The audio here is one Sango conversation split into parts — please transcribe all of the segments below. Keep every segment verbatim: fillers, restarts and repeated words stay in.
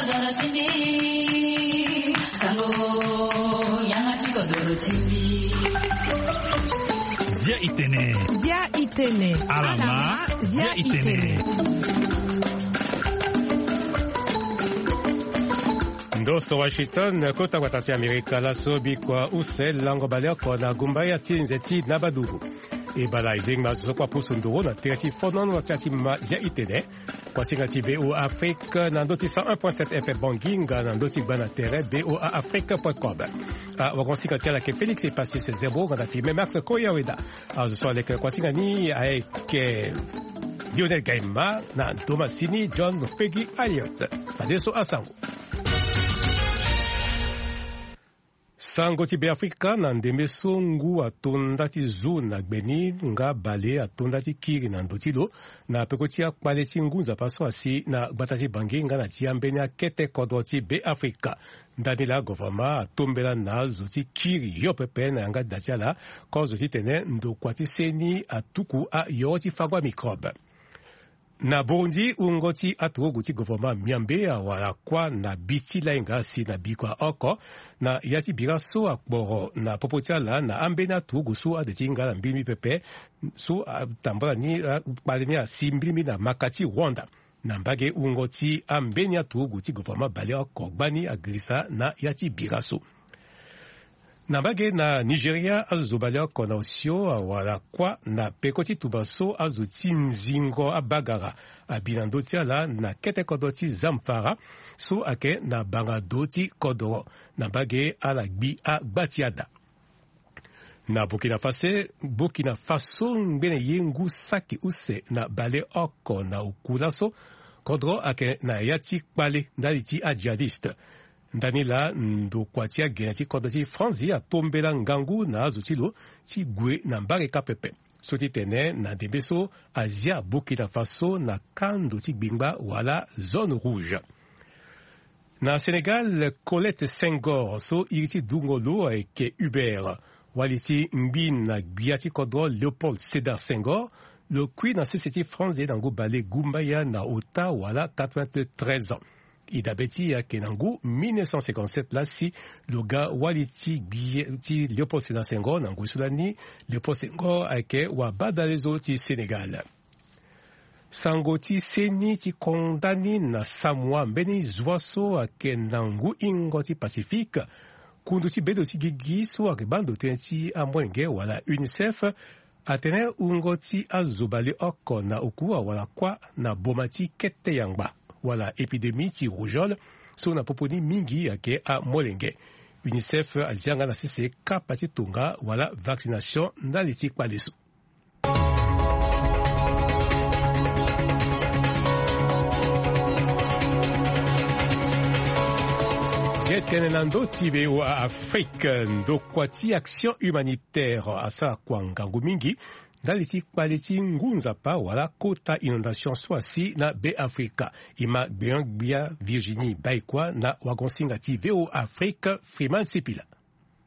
Zia itene. Zia itene. Alama, zia itene. Ndo so Washington, kota gbata ti Amerika, laso bikua use lango baleoko na gumba ya ti nze ti Nabaduru. E bala e zengba zo so kua pusu nduru na tere ti fonono ti atima zia itene. Kuasinga ti V O A Afrique na ndö ti cent un point sept F M Banginga, na ndö ti gba na tere V O A Afrique point com. Awagosinga ti ala ayeke Félix Epasis Zebro nga na Firmin Max Koyaweda. Azo so aleke kuasinga ni ayeke Lionel Gaima na ndo masini John Peggy Alliot. Fadeso asango. Sango ti Beafrika. Na ndembe so ngu ato nda ti zu na gbe ni nga bale ato nda ti kiri na ndo ti lo na peko ti akpale ti ngu nzapa so asi na gbata ti Bangi nga na ti ambeni akete kodro ti Beafrika. Ndani laa governement atombela na azo ti kiri hio pepe na yanga da ti ala, kozo titene ndokua ti seni atuku ayoro ti fango amicrobe. Na Burundi, wungo ti aturugu ti governement miambe awara kuâ na bi ti lainga asi na bikua oko na ya ti bira so akporo na popo ti ala na ambeni aturugu so ade ti hinga ala mbirimbi pepe, so atambula ni, akpale ni asi mbirimbi na maka ti Rwanda. Na mbage wungo ti ambeni aturugu ti governement baleoko gbani agirisa na ya ti bira so. Na mbage na Nigeria, azo baleoko na osio awara kuâ na peko ti tuba so azo ti nzingo abagara abi na ndö ti ala na kete kodro ti Zamfara, so ayeke na banga do ti kodro. Na mbage ala gbi agba ti ada. Na Burkina Faso, Burkina Faso ngbene ye ngu saki use na baleoko na oku laso. Kodro ayeke na ya ti kpale ndali ti ajihadiste. Ndani laa ndokua ti agene ti kodro ti France atombela ngangu na azo ti lo ti gue na mbage kâ pepe. So ti tene na ndembe so azia Burkina Faso na kando ti gbingba wala zone rouge. Na Sénégal, Colette Senghor so iri ti dungo lo ayeke Hubert, wali ti ngbi na gbia ti kodro Léopold Sédar Senghor, lo kui na sese ti France na ngu bale gumbaya na ota wala quatre-vingt-treize ans. E dabe ti e ayeke na ngu mille neuf cent cinquante-sept laa si lo ga wali ti gbia ti Léopold Sédar Senghor. Na ngoi so lani Léopold Senghor ayeke wabadalezo ti Sénégal. Sango ti seni ti konda ni na Samoa, mbeni zua so ayeke na ngu hingo ti Pacifique, kundu ti bedo ti gigi so ayeke baa ndo tënë ti amolenge wala UNICEF atene wungo ti azo baleoko na oku awara kuâ na boma ti kete yangba wala épidémie ti rougeole, so na popo ni mingi ayeke amolenge. UNICEF azia nga na sese kapa ti tonga wala vaccination ndali ti kpale so. Ye tene na ndö ti V O A Afrique, ndokua ti Action Humanitaire asara kua ngangu mingi ndali ti kpale ti ngu nzapa wala kota inondation so asi na Beafrika. E ma gbenyo-gbia Virginie Baïkoi na wagosinga ti V O A Afrique, Freeman Sipila.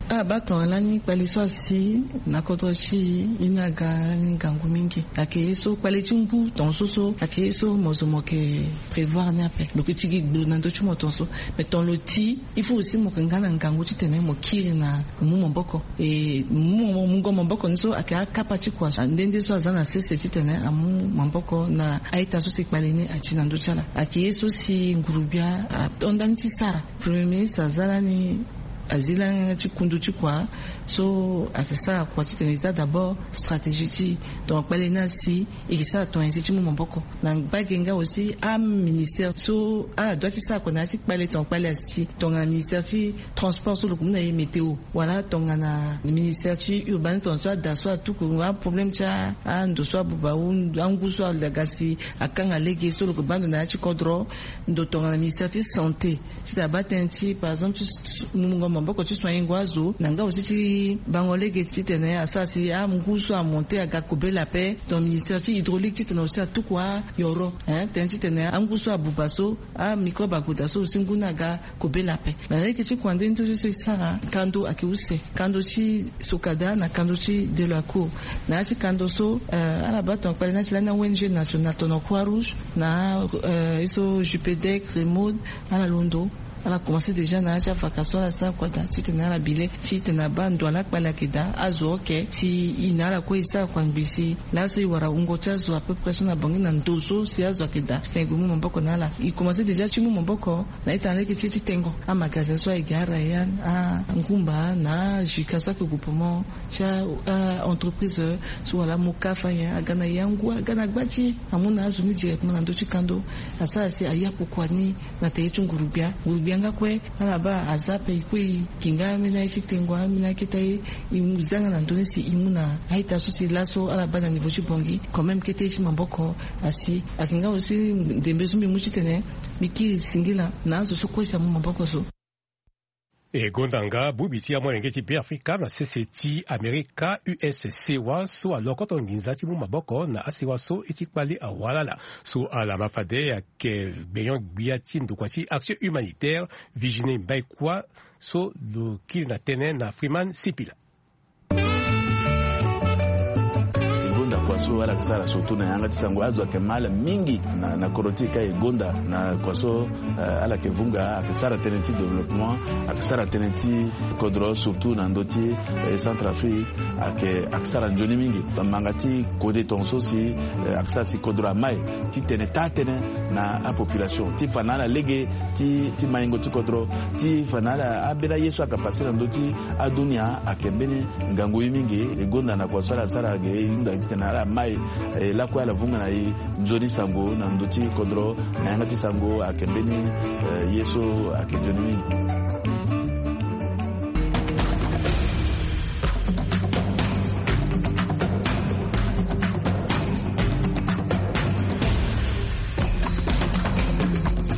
Abaa tongana lani kpale so asi na kodro ti e, ye ni aga lani ngangu mingi. Ayeke ye so kpale ti ngu tongaso so ayeke ye so mo zo mo yeke prévoir ni ape. Lo yeke ti gi gbulu na ndö ti mo tongaso. Mais tongana lo ti, il faut aussi mo yeke nga na ngangu titene mo kiri na mo mu maboko. E mo mu mo, mungo maboko ni so ayeke akapa ti kua nde nde so aza na sese titene amu maboko na a-ita so si kpale ni ati na ndö ti ala. Ayeke ye so si ngurugbia ato ndani ti sara. Premier ministre aza lani, azi lani ti kundu ti kua so ayeke sara kua titene e za d'abord stratégie ti e. Donc kpale ni asi e yeke sara tongana e si ti mu maboko. Na mbage nga aussi aministère so ala doit ti sara kua na ya ti kpale, tongana kpale asi, tongana ministère ti transport so lo yeke mu na e météo, wala tongana ministère ti urbanisme, tongana so ada so atuku aproblème ti a, ando so abuba ou angu so alaga si akanga lege so lo yeke baa ndo na ya ti kodro. Ndo tongana ministère ti santé, titene abaa tënë ti, par exemple, ti s-, s-, mungo Maboko ti soignengo azo na nga aussi ti bango lege titene asara si angu so amonte aga kobela ape. Donc ministère ti hydraulique titene aussi atuku ayoro, hein, tënë titene angu so abuba so, amicrobe ague daa so aussi ngu ni aga kobela ape. Mais na lege ti kua nde ni so so e sara kando ayeke use, kando ti Socada na kando ti Delacour. Na ya ti kando so, euh, ala baa tongana kpale ni ati lani a-ONG nationale tongana Croix Rouge na, euh, ye so Jupedec, Remode, ala londo, ala commencé déjà na ya ti avaka so ala sara kua daa titene ala bi le titene abaa ndo ala kpale ayeke daa, azo oke si e na ala kue e sara kua ngbii si laso e wara wungo ti azo à peu près so na Bangui na ndo so si azo ayeke daa titene e gue mu maboko na ala. E commencé déjà ti mu maboko na ita na lege ti ye ti tengo amagazin so ayeke ga Rayan, angumba na Juka so ayeke gue pomo ti a, a entreprise so wala Moka Faya aga na e angu aga na gba ti e amu na azo ni directement na ndö ti kando. Asara si aya pokua ni na tere ti nguru-gbia. Nguru-gbia nga kue ala baa aza ape e kue e gi nga ambeni aye ti tengo ambeni akete aye e mu zanga na ndö ni si e mu na a-ita so si laso ala baa na niveau ti Bangui quand même kete ye ti maboko asi. Ayeke nga aussi ndembe so mbi mu titene mbi kiri singila na azo so kue si amu maboko so. E gonda nga bongbi ti amolenge ti Beafrika na sese ti Amerika, U S C wa so alokoto nginza ti mu maboko na asewa so e ti kpale awalala so ala ma fade ayeke gbenyo-gbia ti ndokua ti Action Humanitaire, Virginie Mbaïkwa, so lo kiri na tënë na Freeman Sipila. E gonda kua so ala yeke sara surtout na yanga ti sango, azo ayeke ma ala mingi na, na kodro ti e ka e gonda na kua so, eh, ala yeke vunga, ayeke sara tënë ti développement, ayeke sara tënë ti kodro surtout na ndö ti, eh, Centrafrique, ayeke, ayeke sara nzoni mingi. Manga ti kode tongaso si, eh, ayeke sara si kodro amai ti tene taa tënë na apopulation ti fa na ala lege ti, ti maingo ti kodro, ti fa na ala ambeni aye so ayeke pase na ndö ti adunia ayeke mbeni ngangu ye mingi. E gonda na kua so ala sara ge e hunda titene ala mai, eh, lakue ala vunga na e nzoni sango na ndö ti kodro na yanga ti sango ayeke mbeni, eh, ye so ayeke nzoni mingi.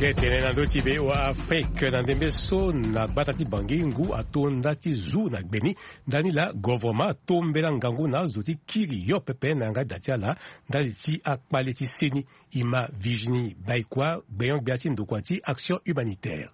Si e tene na ndö ti V O A Afrique na ndembe so na gbata ti Bangui ngu ato nda ti zu na gbe ni. Ndani laa govoroma atombela ngangu na azo ti kiri yo pepe na yanga da ti ala ndali ti akpale ti seni. E ma Virginie Baïkwa, gbenyo-gbia ti ndokua ti Action Humanitaire.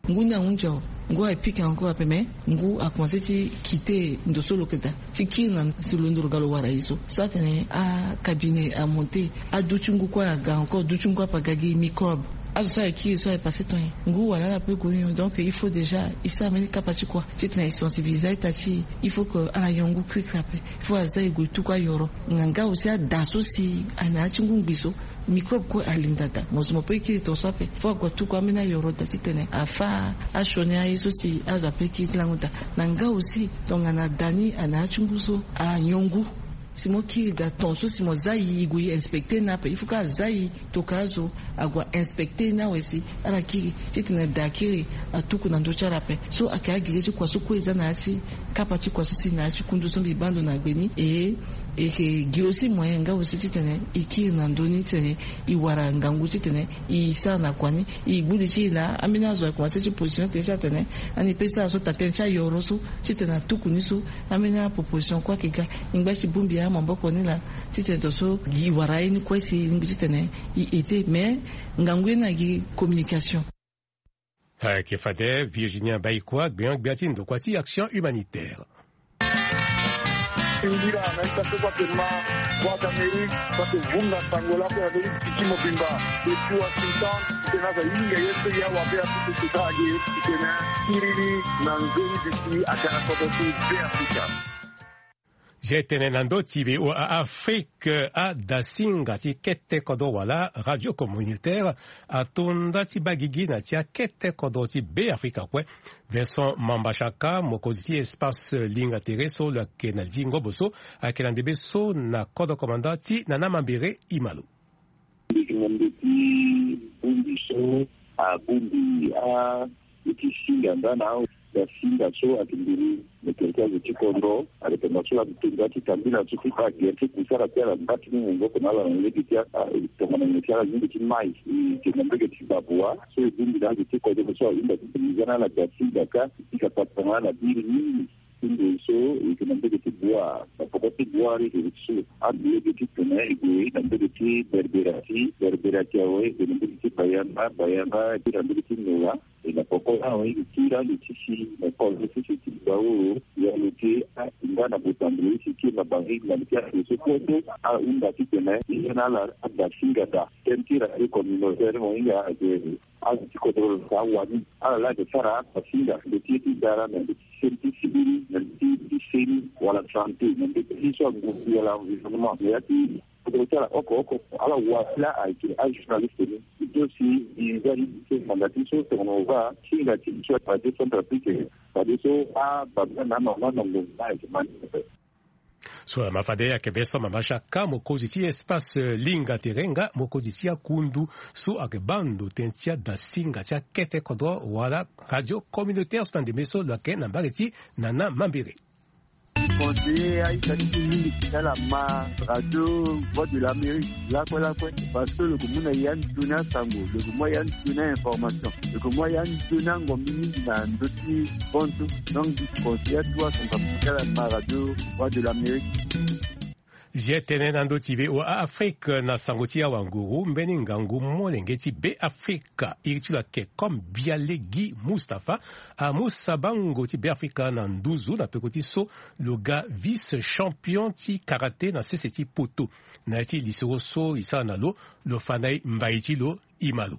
Ngu ni ahunzi awe, ngu aye pika encore ape, mais ngu akomanse ti kite ndo so lo yeke daa ti kiri na si lo ndo lo ga lo wara e so. So atene acabinet amonte, aduti ngu kue aga encore, duti ngu ape aga gi microbe. Azo so aye kiri so aye pase ton nyen? Ngu wala ala pe gue nyon. Donc il faut déjà e sara mbeni kapa ti kua titene e sensibiliser a-ita ti e. Il faut que ala nyon ngu kirikiri ape. Il faut aza e gue tuku ayoro. Nga nga aussi ada so si aye na ya ti ngu ngbii so, microbe kue alinda daa. Mo so mo pe kiri tongaso ape, fo ague atuku ambeni ayoro daa titene afâ asioni aye so si azo ape kiri ti lango daa. Na nga aussi tongana da ni aye na ya ti ngu so, anyon ngu si mo kiri daa tongaso si mo za e, e gue e inspecter ni ape. Il faut que aza e tokua azo ague a inspecter ni awe si ala kiri titene da akiri atuku na ndö ti ala ape. So ayeke agere ti kua so kue e za na ya ti kapa ti kua so si na ya ti kundu so mbi baa ndo na gbe ni. E, e yeke gi aussi moyen nga aussi titene e kiri na ndö ni titene e wara ngangu titene e sara na kua ni. E gbu li ti e laa, ambeni azo akomanse ti position tënë ti atene ani pe sara so taa tënë ti ayoro so titene atuku ni so. Ambeni aproposition kue ayeke ga. E ngba ti bongbi amaboko ni laa titene tongaso gi wara ye ni kue si e lingbi titene e aide. Mais ngangu ye ni agi communication. Ayeke fade Virginia Baïkwa, gbenyo-gbia ti ndokua ti Action Humanitaire. Singila na ita so kue ayeke ma Voix d'Amérique so ayeke vunga sango lakue na ndö ti piki mobimba. Depuis Washington, titene aza hinga ye so e awa be apupu sota age titene akiri ni na nzoni bisi aga na kodro ti Beafrika. Zia tene na ndö ti V O A Afrique, adasinga ti kete kodro wala radio communautaire ato nda ti baa gigi na ti akete kodro ti Beafrika kue. Vincent Mambashaka, mokonzi ti espace linga tere so lo yeke na li ti ngobo so, ayeke na ndembe so na kodro komanda ti Nana Mambere Imalo. Ndiki na ndö ti bongbi so abongbi a, e ti singa nda na Dasinga so ayeke nduru na territoire ti kodro, ayeke tongana so la ti tonga ti tambula so ti baa gere ti kusara ti ala mba ti ni ngongo oko na ala na lege ti a tongana nyen ti ala lingbi ti mai. E yeke na mbege ti babua so e bongbi na azo ti kodro so ahunda ti bongbi za na ala Dasinga kâ e pika patara na ala biri mingi. Ti nde so e yeke na mbege ti bua na poko ti bua ri e yeke so ande lege ti tene e gue na mbege ti Berbera ti Berbera ti awe e gue na mbege ti Bayanga Bayanga e gue na mbege ti Nola. E na poko awe e kiri ande ti si na kolo ti si ti baoro ya lo ke a nga na botambolo ti si ke na bangi na ti ande so kue so ahunda titene e ya na ala adasinga daa. Tënë ti radio communautaire mo hinga ake azo ti kodro lo ka wani ala laa ake sara adasinga ndo ti ye ti dara na ndo ti seni ti sibiri na ndo ti seni wala sante na ndo ti ye so angundi wala environnement na ya ti kodro ti ala oko oko ala wani laa ayeke ajournaliste ni. Ti so si e nzari ti manda ti so tongana o va singa ti so na décentrafrique. Fade so ababa na amama na ngonga ayeke ma ni pepe. So ma fade ayeke Vincent Mama Chaka mokonzi ti espace linga terenga mokonzi ti akundu so ayeke baa ndo tënë ti adasinga ti akete kodro wala radio communautaire so na ndembe so lo yeke na mbage ti nana mambere. Conseiller aita ti mingi ti ala ma radio Voix de l'Amérique lakue lakue. Parce que lo ke mu na ya nzoni asango, lo ke mu ya nzoni a information, lo ke mu ya nzoni angombi mingi na ndö ti bonso. Donc conseiller atu asango ti ala ma radio Voix de l'Amérique. Zi tene na ndö ti VOA Afrique na sango ti awanguru mbeni ngangu molenge ti Beafrika iri ti lo ayeke comme Bialegi Mustapha amu sabango ti Beafrika na nduzu na peko ti so lo ga vice champion ti karaté na sese ti poto. Na ya ti lisoro so e sara na lo lo fa na e mbai ti lo e ma lo.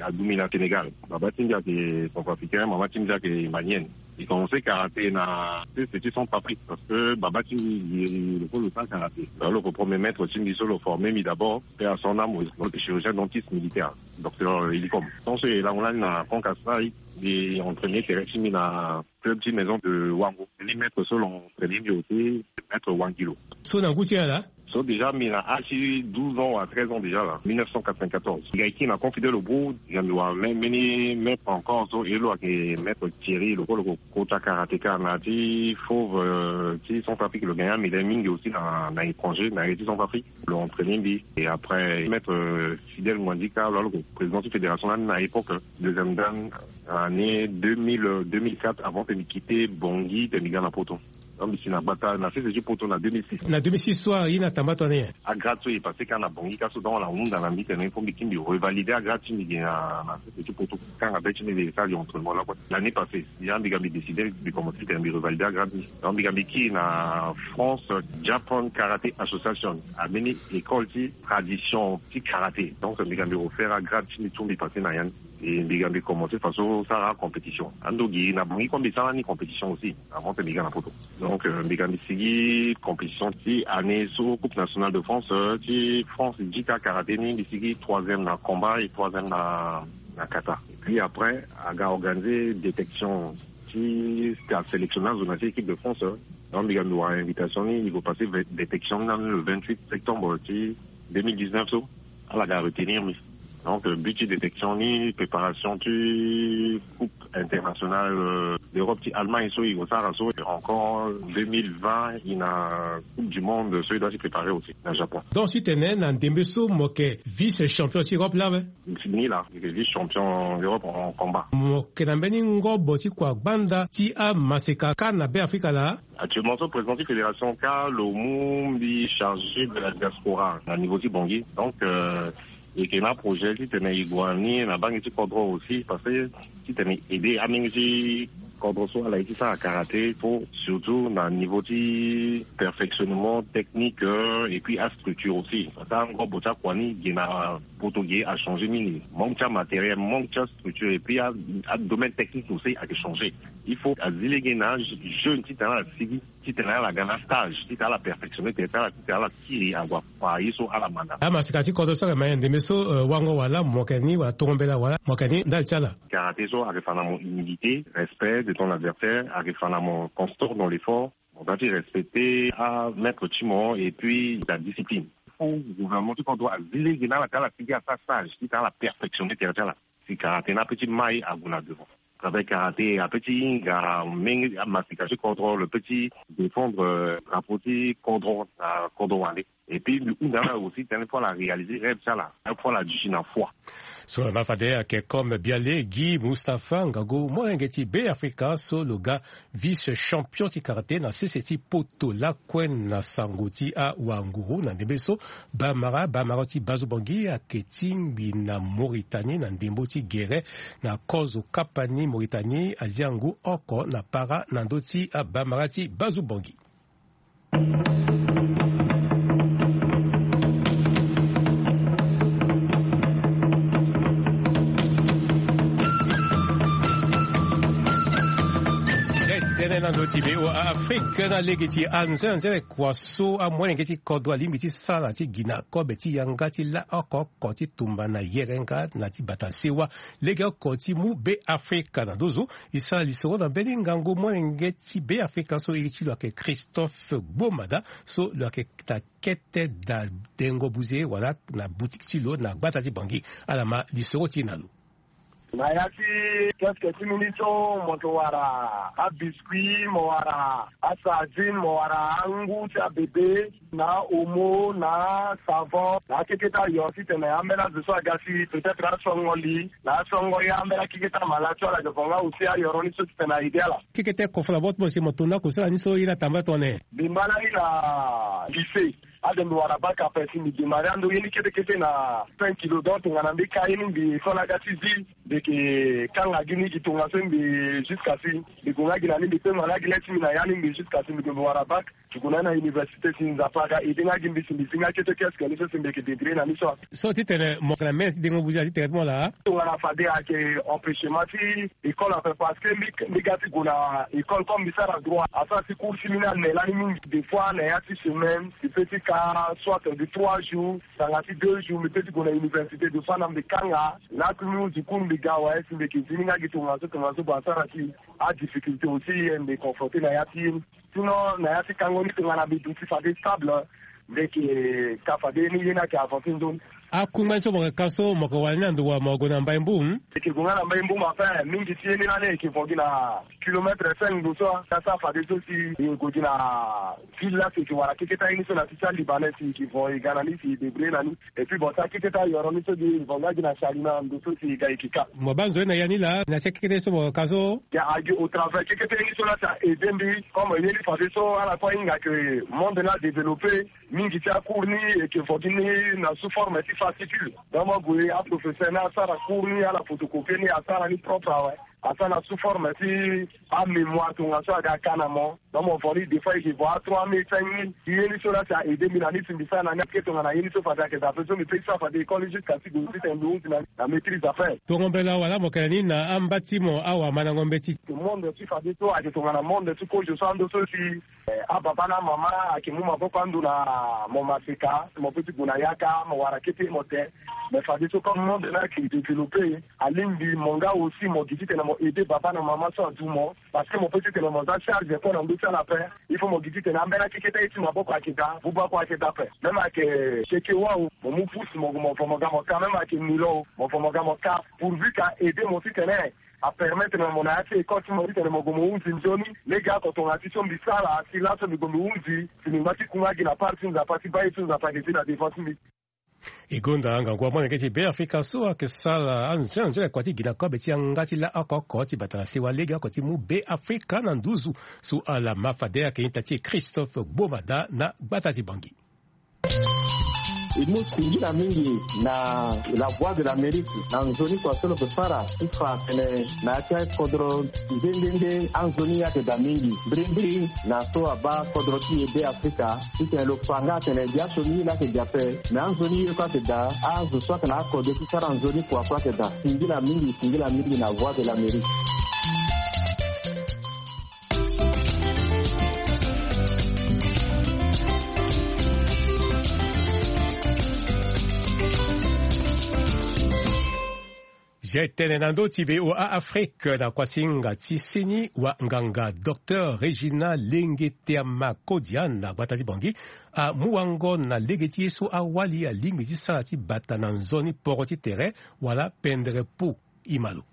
Adumi na Sénégal. Baba ti mbi ayeke centrafricain, mama ti mbi ayeke malienne. E commencé karaté na sese ti Centrafrique parce que baba ti mbi e lo ko lo sara karaté. Lo lo ko premier maître ti mbi so lo formé mbi d'abord pe à son âme, lo yeke chirurgien dentiste militaire, docteur Elicom. Tant so e lango lani na Francas la e entraîné tere ti mbi na club ti maison de Wango. Ni maître so lo entraîné mbi aussi, maître Wangilo. So na ngu ti ala. So déjà mbi na âge ti douze ans à treize ans déjà là, mille neuf cent quatre-vingt-quatorze. Mbi ga e kiri na Confidel Obou, déjà mbi wara même mbeni maître encore so e lo ayeke maître Thierry lo ko lo ko kota karatéka na ti Fauve ti Centrafrique. Lo gagna médaille mingi aussi na na étranger na ye ti Centrafrique. Lo entraîné mbi et après maître Fidèle Mwandika lo lo ko président ti fédération lani na époque, deuxième dan année deux mille deux mille quatre avant que mbi quitté Bangui te mbi ga na Poto. Donc mbi si na gbata na sese ti Poto na deux mille six. Na deux mille six so aye na tamba tongana nyen? Agrade so e passé kâ na Bangui kâ so donc ala hunda na mbi tene il faut mbi kiri mbi revalider agrade ti mbi ge na na sese ti Poto. Kanga be ti mbi mbi sara entraînement lakue. L'année passée ya mbi ga mbi décider mbi commencé tene mbi revalider agrade ti mbi. Donc mbi ga mbi kiri na France Japan Karate Association, ambeni école ti tradition ti karaté. Donc mbi ga mbi refaire agrade ti mbi tout mbi passé na ya ni. E mbi ga mbi commencé faso sara compétition. Ando gi na Bangui kue mbi sara ni compétition aussi avant que mbi ga na Poto. Donc mbi ga mbi sigi compétition ti année so Coupe nationale de France ti France jita karaté ni mbi sigi troisième na combat et troisième na na kata. Et puis après aga organisé détection ti sélectionné azo na ti équipe de France. Donc mbi ga mbi wara invitation ni mbi ko passé détection ni na le vingt-huit septembre ti deux mille dix-neuf so. Ala ga retenir mbi. Donc but ti détection ni préparation ti coupe internationale d'Europe ti Allemagne so e ko sara so, encore deux mille vingt e na coupe du monde so e doit ti préparer aussi na Japon. Donc titene na ndembe so mo yeke vice champion ti Europe laa awe? Ni laa e yeke vice champion d'Europe en combat. Mo yeke na mbeni ngobo ti kua gbanda ti amaseka kâ na Beafrika laa? Actuellement so président ti fédération kâ lo mu mbi chargé de la diaspora na niveau ti Bangui. Donc e yeke na aprojet titene e gue na ni na bangi ti kodro aussi parce que titene e aidé amenge ti kodro so ala ye ti sara karaté fo surtout na niveau ti perfectionnement technique et puis astructure aussi parce que angobo ti akua ni ge na Poto ge achangé mingi, manque ti amatériel, manque ti astructure et puis adomaine technique aussi ayeke changé. Il faut azi lege na ajeune titene ala sigi titene ala ga na stage titene ala perfectionné tene ti ala titene ala kiri ague akua ye so ala ma na. Amaseka ti kodro so ayeke ma nyen ndembe so wango wala mo yeke ni wala tongo mbela wala mo yeke ni ndali ti ala? Karaté so ayeke fa na mo humilité, respect de ton adversaire, ayeke fa na mo constant dans l'effort. Mo doit ti respecter amaître ti mo et puis la discipline. Faut gouvernement ti kodro azi lege na ala ti ala sigi asara stage titene ala perfectionné tere ti ala. Si karaté ni ape ti mai ague na devant. Travail karaté ape ti hinga menge amasika ti kodro, lo pe ti défendre, euh, drapeau ti kodro na kodro wande. Et puis mbi hunda na aussi tene fo ala réaliser rêve ti ala, fo ala duti na foi. So na fade ayeke comme biale Guy Mustapha, ngangu molenge ti Be Afrika so lo ga vice champion ti karaté na sese ti poto lakue na sango ti awanguru na ndembe so bamara bamara ti Bazobangi ayeke tingbi na Mauritanie na ndembo ti gere na kozo kapa ni Mauritanie azia ngu oko na para na ndö ti abamara ti Bazobangi. Tënë na ndö ti V O A Afrique na lege ti anzenanzere kua so amolenge ti kodro alingbi ti sara ti gi na kobe ti yanga ti la oko oko ti tumba na yerenga na ti bata sewa lege oko ti mu Be Afrika na nduzu. E sara lisoro na mbeni ngangu molenge ti Be Afrika so iri ti lo ayeke Christophe Gbomada so lo yeke na kete da dengo buze wala na boutique ti lo na gbata ti Bangui. Ala ma lisoro ti e na lo. Na ya ti kiosque ti mbi ni so mo yeke wara abiscuit, mo wara asardine, mo wara angu ti abebe, na omo, na savon, na akeketa yo titene ambeni azo so aga si peut-être asongo li na asongo ye ambeni akeketa malade so ala yeke vonga aussi ayoro ni so titene aide ala. Kekete kofo na bo ti mo si mo tunda kusala ni so ye ni atamba tongana nyen? Mbi ma lani na lycée. Ade mbi wara bac ape si mbi démarrer ando ye ni kete kete na cinq kilo. Donc tongana mbi ka ye ni mbi école aga ti zi, mbi yeke kanga gi ni gi tongaso mbi jusqu'à si mbi gue nga gi na ni mbi kpengba nga gi le ti mbi na ya ni mbi jusqu'à si mbi gue mbi wara bac. Ti gue na ni na université si Nzapa aga aidé nga gi mbi si mbi zi nga kete kiosque ni so si mbi yeke débrouiller na ni so. So titene mo yeke na mene ti dengo buze titene ti mo laa? Tongana fade ayeke empêchement ti école ape parce que mbi, mbi ga ti gue na école comme mbi sara droit asara si cours ti mbi ni ane lani mingi. Des fois na ya ti semaine mbi peut ti ka soit de trois jours tanga ti deux jours mbi peut ti gue na université. Des fois na mbi kanga lakui mbi hunzi cours mbi ga awe si mbi yeke zi ni nga gi tongaso tongaso bon asara si adifficulté aussi mbi confronté na ya ti ye ni. Sinon na ya ti kango ni tongana mbi duti fade stable, mbi yeke ka fade ye ni ye ni ayeke avancer nzoni. Akungba ni so mo yeke ka so mo yeke wara ni na ndo wa mo gue na Mbai Mboum? Mbi yeke gue nga na Mbai Mboum, enfin mingi ti ye ni lani e yeke vo gi na kilomètre cinq ndo so. Asara fade so si e gue gi na ville la si e yeke wara keketa ye ni so na ti ti alibanais si e yeke vo e ga na ni si e débrouiller na ni. Et puis bon sa kekete ayoro ni so gi vo nga gi na sali na ndo so si ga eke ka. Mo baa nzoni na ya ni laa na ti akekete so mo ka so? Ya agi au travers kekete ni so la si a aidé mbi comme ye ni fade so ala kue ahinga ke monde ni adéveloppé. Mingi ti acours ni eke vo gi ni na sous forme ti fascicule. Donc mo gue aprofesseur ni asara cours ni ala photocopier ni asara ni propre awe. Asara na sous forme ti amémoire tongaso aga ka na mo. Donc mo vo ni des fois e ke vo a trois mille cinq mille. Ye ni so la si a aidé mbi na ni si mbi sara na ni ake tongana ye ni so fade ayeke daa ape so mbi pe ti sara fade école jusqu'à si gue titene mbi hunzi na ni na maîtrise ape. Tongo mbela wala mo yeke na ni na amba ti mo awamandango mbeti? Monde ti fade so ayeke tongana monde ti kozo so ando so si eh, ababa na amama ayeke mu maboko ando na mo maseka mo pe ti gue na yaka mo wara kete mo te. Mais fade so comme monde ni ayeke développé alingbi mo nga aussi mo gi titene mo aidé baba na mama so adu mo. Parce que mo pe titene mo za charge kue na ndö ti ala ape. Il faut mo gi titene ambeni akeketa ye ti maboko ayeke daa buba kue ayeke daa ape. Même ayeke seke wau mo mu pousse mo gue mo vo mo ga mo ka même ayeke nilo mo vo mo ga mo ka. Pourvu ka aidé mo titene apermettre na mo na ya ti école ti mo titene mo gue mo hunzi nzoni. Lege oko tongana ti so mbi sara si laso mbi gue mbi hunzi si mbi ngba ti kunga gi na part ti Nzapa ti baa ye so Nzapa ayeke zi na devant ti mbi. E gonda ngangu amolenge ti Be Afrika so ayeke sara anzenanzere kua ti gi na kobe ti yanga ti la oko oko ti bata na sewa lege oko ti mu Be Afrika na nduzu. So ala ma fade ayeke ita ti e Christophe Gbomada na gbata ti Bangui. E mu singila mingi na La Voix de l'Amérique na nzoni kua so lo yeke sara ti fa atene na ya ti akodro nde nde nde anzoni ayeke daa mingi. Mbrimbri na so abaa kodro ti e Be Afrika titene lo fa nga atene biaso ni ye laa ayeke daa ape. Me anzoni ye kue ayeke daa. Azo so ayeke na akode ti sara nzoni kua kue ayeke daa. Singila mingi, singila mingi na Voix de l'Amérique. Zia e tene na ndö ti V O A Afrique na kuasinga ti seni wa nganga Docteur Régina Lenge Teama Kodia na gbata ti Bangui amu wango na lege ti ye so awali alingbi ti sara ti bata na nzoni poro ti tere wala pendere po. Imalo.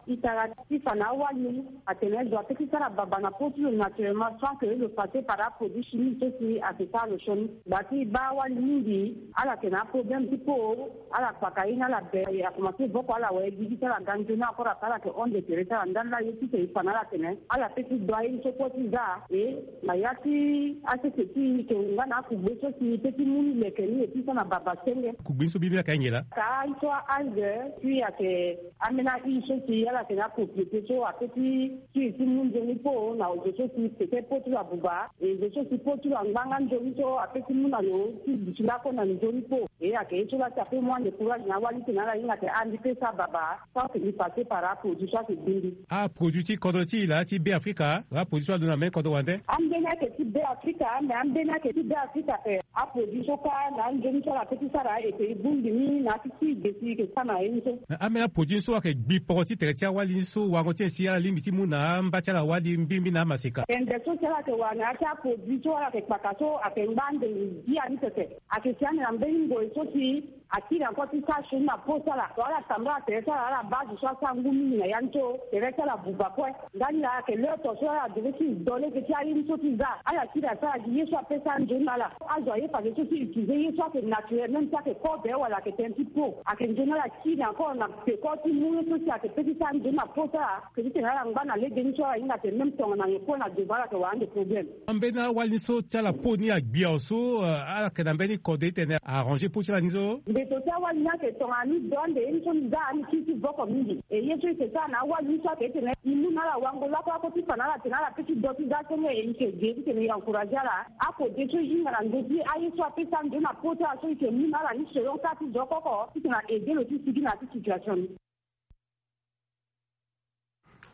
Itara ti fa na awali atene zo ape ti sara baba na po ti lo naturellement sans que lo passe par aproduit chimique so si ayeke sara lo sioni. Gba ti baa awali mingi ala yeke na aproblème ti po ala kpaka ye ni ala be, akomanse voko ala waye gigi ti ala ga nzoni encore ape ala yeke honde tere ti ala ndali laa ye ti tene e fa na ala atene ala pe ti dua ye ni so kue ti za. E na ya ti asese ti e yeke nga na akugbe so si e pe ti mu ni leke ni e ti sara na baba senge. Kugbe ni so bibi ayeke ahinga laa? Ka ye so a-algue, puis ayeke ambeni a-i so si ala yeke na apropriété so ape ti ti e ti mu nzoni po na zo so si peut-être po ti lo abuba, e zo so si po ti lo angba nga nzoni so ape ti mu na lo ti duti lakue na nzoni po. E ayeke ye so laa si ape mu ande courage na awali ti tene ala hinga atene a mbi pe sara baba sans que mbi passe par aproduit so ayeke gbi mbi. Aproduit ti kodro ti e laa ti Be Afrika, aproduit so alondo na mbeni kodro wande? Ambeni ayeke ti Be Afrika, mais ambeni ayeke ti Be Afrika ape. Aproduit so kâ na anzoni so ala pe ti sara e pe e bongbi ni na ya ti ti e ge si e yeke sara na ye ni so. Ambeni aproduit ni so ayeke gbi poro ti tere ti awali ni so wango ti e si ala lingbi ti mu na amba ti ala wali mbirimbiri na amaseka. Tende so si ala yeke wara na ya ti aproduit so ala yeke kpaka so ayeke ngba ande gi ya ni pepe. Ayeke si ande na mbeni ngoi so si akiri encore ti sara sioni na po ti ala. So ala tambula tere ti ala, ala baa zo so asara ngu mingi na ya ni so tere ti ala buba kue. Ndani laa ayeke l'heure so ala devait ti do lege ti aye ni so ti za. Ala kiri asara gi ye so ape sara nzoni na ala. Azo aye fadeso ti utiliser ye so ayeke naturel, même si ayeke kobe wala ayeke tënë ti po. Ayeke nzoni ala kiri encore na peko ti mu ye so si ayeke pe ti sara nzoni na po ti ala. Ayeke ti tene ala ngba na lege ni so ala hinga atene même tongana nyen kue na devant ala yeke wara ande problème. Ambeni awali ni so ti ala po ni agbi awe so, euh, ala yeke na mbeni kode ti tene arranger po ti ala ni so? Mbeto ti awali ni ayeke tongana ni do ande ye ni so ni za ni kiri ti voko mingi. E ye so e yeke sara na awali ni so ayeke ti tene e mu na ala wango lakue lakue ti fa na ala atene ala pe ti do ti za senge e yeke ge ti tene e encourager ala. Akode so e hinga na ndö ti aye so ape sara nzoni na po ti ala so e yeke mu na ala ni selon cas ti zo oko oko ti tene a aider lo ti sigi na ya ti situation ni.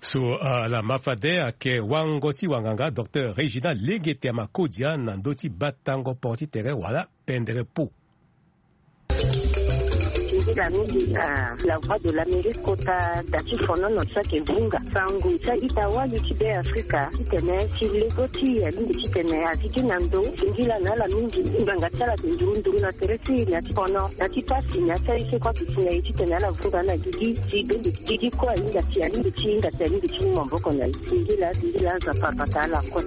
So, ah, ala ma fade ayeke wango ti wanganga docteur Réginald Lengete Amakodia na ndö ti batango poro ti tere wala pendere po. Nzila mingi na La Voix de l'Amérique kota da ti fonono so ayeke vunga sango ti a-ita wali ti Be Afrika titene ti lego ti e alingbi titene a gigi na ndo. Singila na ala mingi ngbanga ti ala ayeke nduru nduru na tere ti e na ya ti fono na ya ti pasi na ya ti aye so kue ayeke si na e titene ala vunga na gigi. Ti bembe gigi kue ahinga ti alingbi ti hinga ti alingbi ti mu maboko na e. Singila singila aza papa ta ala kue.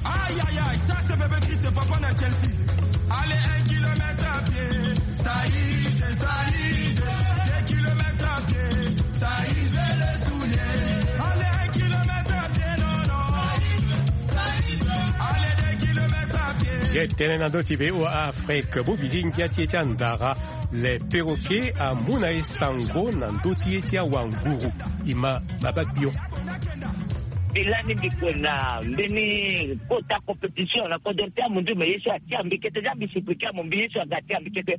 Aïe, aïe, aïe, ça c'est bébé Christ, papa na Chelsea. Allez, un kilomètre à pied, ça y est, ça y est. Deux kilomètres à pied, ça y est, les souliers. Allez, un kilomètre à pied, non, non. Allez, deux kilomètres à pied. Ye tënë na ndö ti V O A Afrique, bobili ngia ti ye ti andara. Le perroquet amu na e sango na ndö ti ye ti awanguru. E ma baba gbio. E lani mbi kue na mbeni kota compétition na kodro ti amunzu, me ye so atia mbi kete, za mbi sukulu ti amu mbi ye so aga atia mbi kete.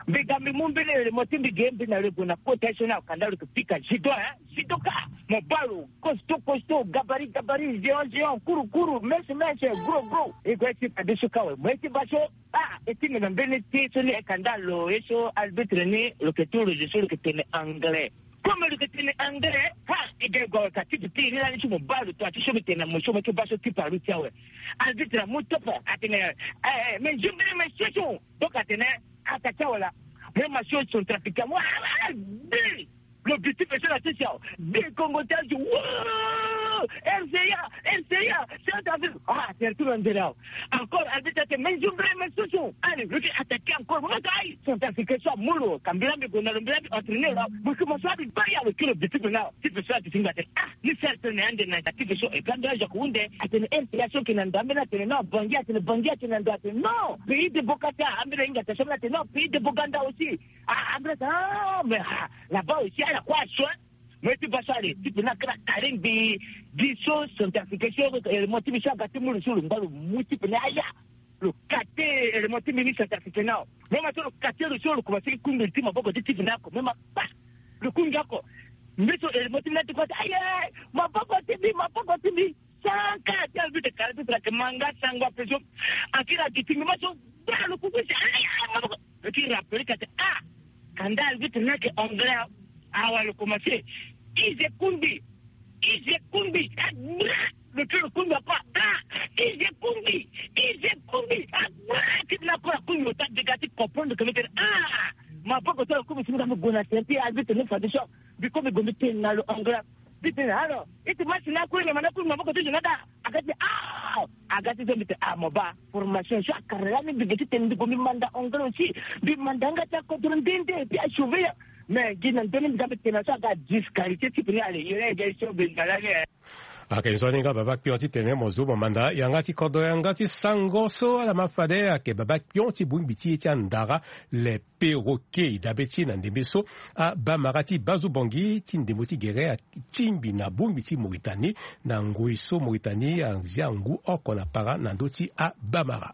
Mbi ga mbi mu mbeni remo ti mbi ge mbi na rego na kota ye so ni akanda lo yeke pika judo, hein, judoka. Mobali costaud, costaud, gabarit, gabarit, géant, géant, kuru, kuru, mince, mince, gros, gros. E gue ti fadeso kâ awe, mo ye ti baa so. Ah, e ti mbi na mbeni ti so ni e kanda lo ye so arbitre ni lo yeke ti roge so lo yeke tene anglais. Comme lo yeke tene anglais, ha, e ga e gue awe ka ti duti ni lani ti mo baa lo to ati so mbi tene na mo so mo ti baa so ti paru ti awe. Arbitre amu tope atene, eh, eh, mais je me, mais ce sont. Donc atene, ata ti awe laa. Mo ye ma so centrafricain mo, ah, ah, bi. Lo bi ti pe so na ti si awe. Bi Kongo ti azo. Woo! R C A, R C A, Centrafrique. Ah, tere ti lo ndere awe. Encore arbitre ake, mais je me, mais ce sont. Allez, lo ti attaquer encore. Mo ka aïe. Centrafricain so amu lo. Ka mbi laa mbi gue na lo, mbi laa mbi entraîner lo. Mo ki mo so abi baa ya lo ki lo bi ti pe na. Ti pe so ake ti ngba te. Ah, ni sert na ande na ti pe so. Et puis ande azo ake hunde. Atene R C A so ake na ndo, ambeni atene non, Bangui atene, Bangui atene na ndo atene non. Pays de Bokata, ambeni ahinga ta so ambeni atene non, pays de Boganda aussi. Ah, ambeni atene, ah, mais, ah, là-bas aussi, ala kue aso, hein. Mo ye ti baa so ale, ti pe ni akara kare mbi, mbi so centrafricain so, eh, mo ti mbi so aga ti mu lo so lo ngba lo mu ti pe ni aya. Lo kate, eh, mo ti mbi ni centrafricain ni awe. Mo ma so lo kate lo so lo komanse ti kundu ti maboko ti ti pe ni oko. Mo ma pa. Lo kundu oko. Mbi so, eh, mo ti mbi ni ati kue ati, aye, maboko ti mbi, maboko ti mbi. So Arbitre ayeke ma nga sango ape so. Akiri aduti mbi ma so. Bra lo kuku si aya maboko. Lo ti rappeler ka te ah. Kanda arbitre ni ayeke anglais. Awa lo commencer. Ize kungbi. Ize kungbi. Ah, bra. Lo ti lo kungbi akoa ah. Ize kungbi. Ize kungbi. Ah, bra. Ti bi na akoa akungbi lo ta dega ti comprendre que mbi tene ah. Maboko so lo kungbi si mbi ga mbi gue na tere ti arbitre ni fade so. Mbi kungbi gue mbi tene na lo anglais. Mbi tene alors. Iti match ni akungbi ma ni akungbi maboko ti zo ni ada. Aga ti ah. Aga ti so mbi tene ah mo baa. Formation so akara lani mbi ge ti tene mbi gue mbi manda anglais aussi. Mbi manda yanga ti akodro nde nde et puis asauver ya. Mais gi na ndö ni mbi ga mbi tene na so aga disqualifié ti peni ale yere ege so mbi ga lani eh. Ayeke nzoni nga baba kpion ti tene mo zo mo manda yanga ti kodro yanga ti sango so ala ma fade ayeke baba kpion ti bongbi ti ye ti andara. Le perroquet e dabe ti e na ndembe so. Abamara ti Bazu Bongi ti ndembo ti gere atingbi na bongbi ti Mauritanie na ngoi so Mauritanie azia ngu oko na para na ndö ti abamara.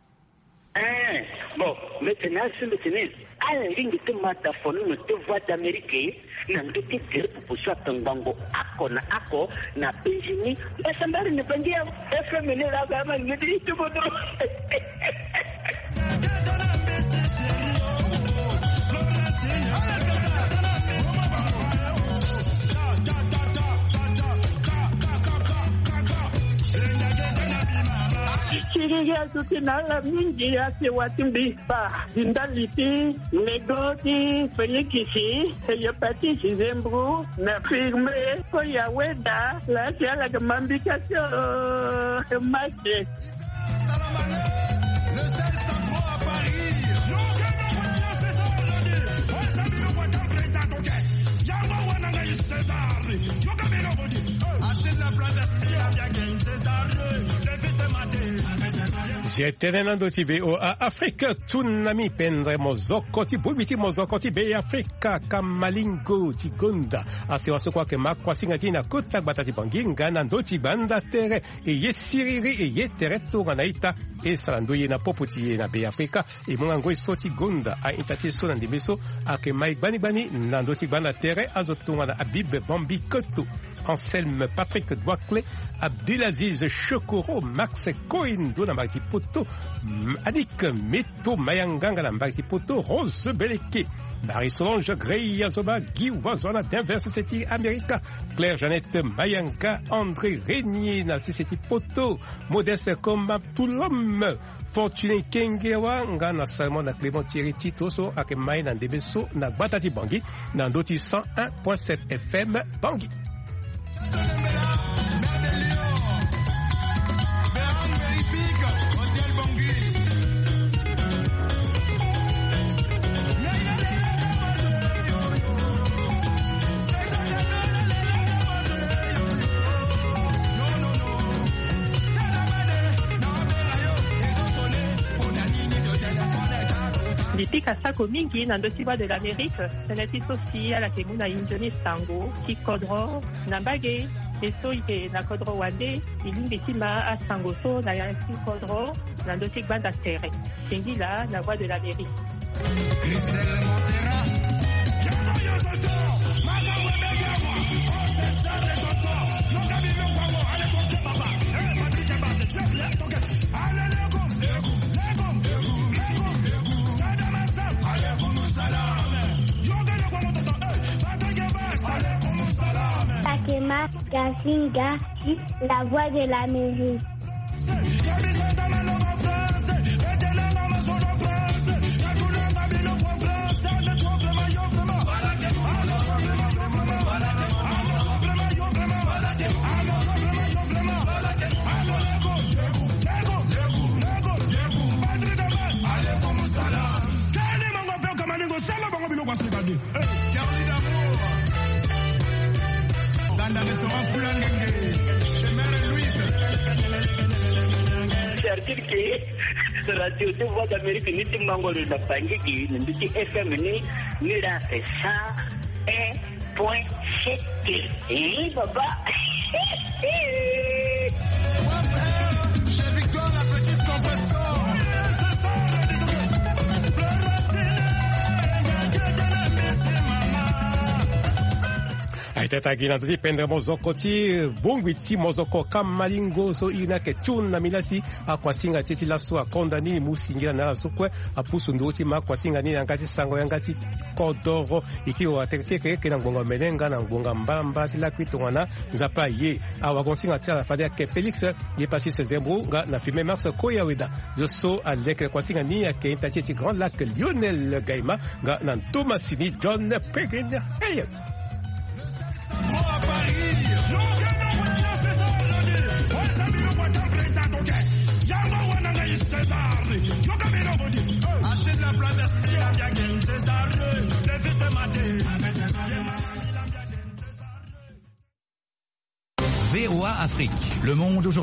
Eh, bon, mbi tene asi mbi tene ala lingbi ti ma dafono na te Voix d'Amérique na ndö ti tere popo so ato ngbongo oko na oko na Benjini. Mbasambari na Bangi ya F M ni la ba ma ni ti ti bodo. Siriri azo ti na ala mingi asewa ti mbi. Ba zi ndali ti nego ti felikisi, hepatite, zembro, na firme. Ko ya weda la si ala ga mambika so. Mate. Salamale, le seul sacro à Paris. Zi tënë na ndö ti V O A Afrique. Tsunami pendre mozoko ti bongbi ti mozoko ti Be Afrika, kamalingo ti gonda asewa so kue ayeke ma kuasinga ti e na kota gbata ti Bangi nga na ndö ti gbanda tere. E ye siriri e ye tere tongana ita. E sara ndoye na popo ti e na Be Afrika. E mu nga ngoi so ti gonda a-ita ti e so na ndembe so ayeke ma e gbani gbani na ndö ti gbanda tere. Azo tongana Habib Bambi Koto, Anselme Patrick Douakle, Abdelaziz Chokoro, Max Cohen ndo na mbage ti poto, Adik Meto Mayanga nga na mbage ti poto, Rose Beleke, Marie Solange Grey Azoba, Guy Wazo na Denver sese ti Amerika, Claire Jeannette Mayanga, André Régnier na sese ti poto, Modeste Koma Tulom, Fortuné Kengewa nga na Salmon na Clément Thierry Tito so ayeke ma e na ndembe so na gbata ti Bangi na ndö ti cent un point sept F M Bangi. Mbi pika sako mingi na ndö ti Voix de l'Amérique, tënë ti so si ala yeke mu na e nzoni sango ti kodro na mbage. E so e yeke na kodro wande, e lingbi ti ma asango so na ya ti kodro na ndö ti gbanda tere. Singila na Voix de l'Amérique. Christelle Montera. Sakema Gasinga, la Voix de l'Amérique. Tani mango pe kamalingo sala bango biloko ya sika de. Hey, Carly d'amour. Dans le restaurant Poulangenge, chez Mère Louise. Certitude que radio de Voix d'Amérique ni ti mango de la Bangui, ni ti F M ni, ni la c'est cent un point sept. Eh, papa. Teta gi na ndö ti pendre mozoko ti bongbi ti mozoko kamalingo so iri ni ayeke tun na milasi. Akuasinga ti e ti laso akonda ni mu singila na ala so kue. Apusu nduru ti ma akuasinga ni na yanga ti sango yanga ti kodoro. E kiri wa teke keke eke na ngbonga omene nga na ngbonga mbalambala ti lakui tongana Nzapa aye. Awagosinga ti ala fade ayeke Félix Yepasis Zembo nga na filme Max Koyaweda. Zo so aleke na kuasinga ni ayeke ita ti e ti Grand Lac Lionel Gaima nga na ntomasini John Pegin. Hey! V O A Afrique, le monde aujourd'hui.